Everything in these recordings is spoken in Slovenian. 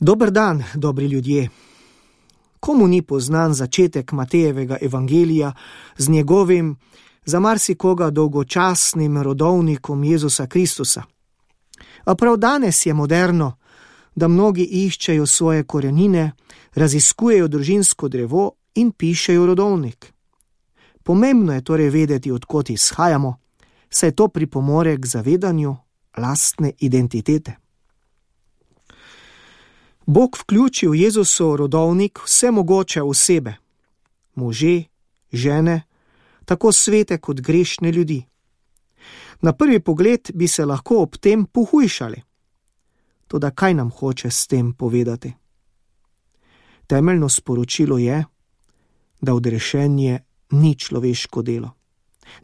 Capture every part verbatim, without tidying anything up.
Dober dan, dobri ljudje. Komu ni poznan začetek Matejevega evangelija z njegovim, za marsikoga dolgočasnim rodovnikom Jezusa Kristusa? A prav danes je moderno, da mnogi iščejo svoje korenine, raziskujejo družinsko drevo in pišejo rodovnik. Pomembno je torej vedeti, od kod izhajamo, saj to pripomore k zavedanju lastne identitete. Bog vključi v Jezusov rodovnik vse mogoče osebe, može, žene, tako svete kot grešne ljudi. Na prvi pogled bi se lahko ob tem pohujšali. Toda kaj nam hoče s tem povedati? Temeljno sporočilo je, da odrešenje ni človeško delo.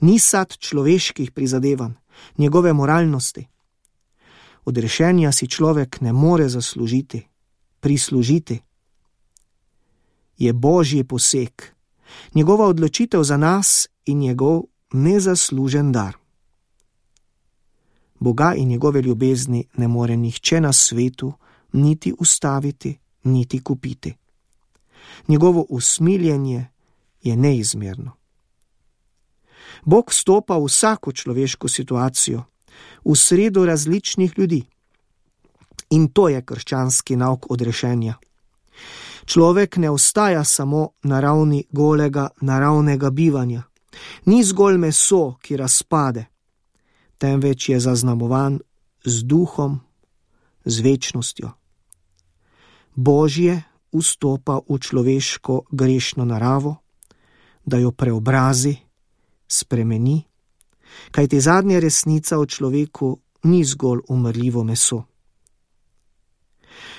Ni sad človeških prizadevanj, njegove moralnosti. Odrešenja si človek ne more zaslužiti, prislužiti. Je Božji poseg, njegova odločitev za nas in njegov nezaslužen dar. Boga in njegove ljubezni ne more nihče na svetu niti ustaviti, niti kupiti. Njegovo usmiljenje je neizmerno. Bog vstopa v vsako človeško situacijo, v sredo različnih ljudi. In to je krščanski nauk odrešenja. Človek ne ostaja samo na ravni golega naravnega bivanja. Ni zgolj meso, ki razpade, temveč je zaznamovan z duhom, z večnostjo. Božje vstopa v človeško grešno naravo, da jo preobrazi, spremeni, kajti zadnja resnica o človeku ni zgolj umrljivo meso.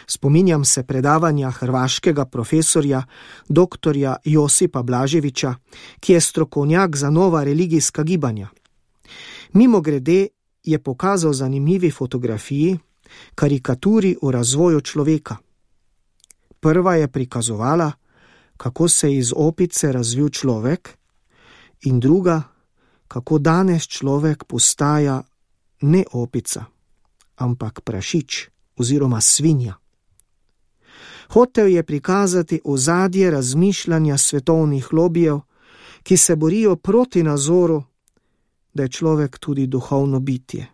Spominjam se predavanja hrvaškega profesorja doktorja Josipa Blaževića, ki je strokovnjak za nova religijska gibanja. Mimogrede je pokazal zanimivi fotografiji, karikaturi o razvoju človeka. Prva je prikazovala, kako se je iz opice razvil človek, in druga, kako danes človek postaja ne opica, ampak prašič oziroma svinja. Hotel je prikazati ozadje razmišljanja svetovnih lobijev, ki se borijo proti nazoru, da je človek tudi duhovno bitje,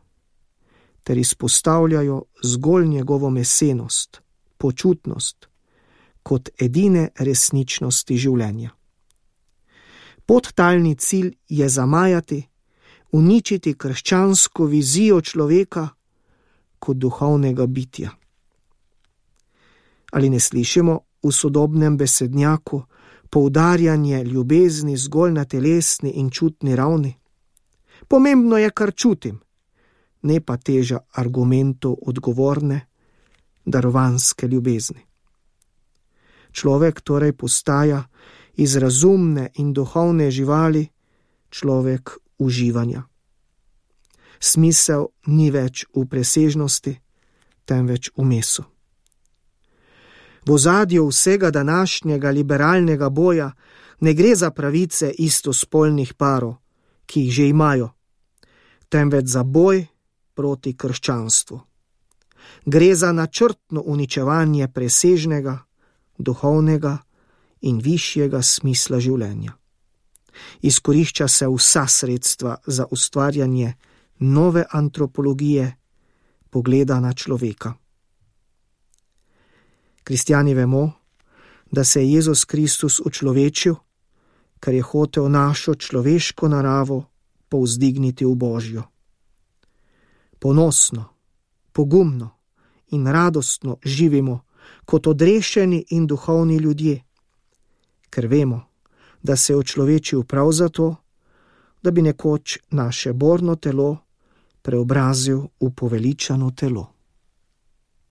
ter izpostavljajo zgolj njegovo mesenost, počutnost, kot edine resničnosti življenja. Podtalni cilj je zamajati, uničiti krščansko vizijo človeka kot duhovnega bitja. Ali ne slišimo v sodobnem besednjaku poudarjanje ljubezni zgolj na telesni in čutni ravni? Pomembno je, kar čutim, ne pa teža argumentov odgovorne, darovanske ljubezni. Človek torej postaja iz razumne in duhovne živali človek uživanja. Smisel ni več v presežnosti, temveč v mesu. V ozadju vsega današnjega liberalnega boja ne gre za pravice istospolnih parov, ki jih že imajo, temveč za boj proti krščanstvu. Gre za načrtno uničevanje presežnega, duhovnega in višjega smisla življenja. Izkorišča se vsa sredstva za ustvarjanje nove antropologije, pogleda na človeka. Kristjani vemo, da se je Jezus Kristus učlovečil, ker je hotel našo človeško naravo povzdigniti v Božjo. Ponosno, pogumno in radostno živimo kot odrešeni in duhovni ljudje, ker vemo, da se je učlovečil prav zato, da bi nekoč naše borno telo preobrazil v poveličano telo.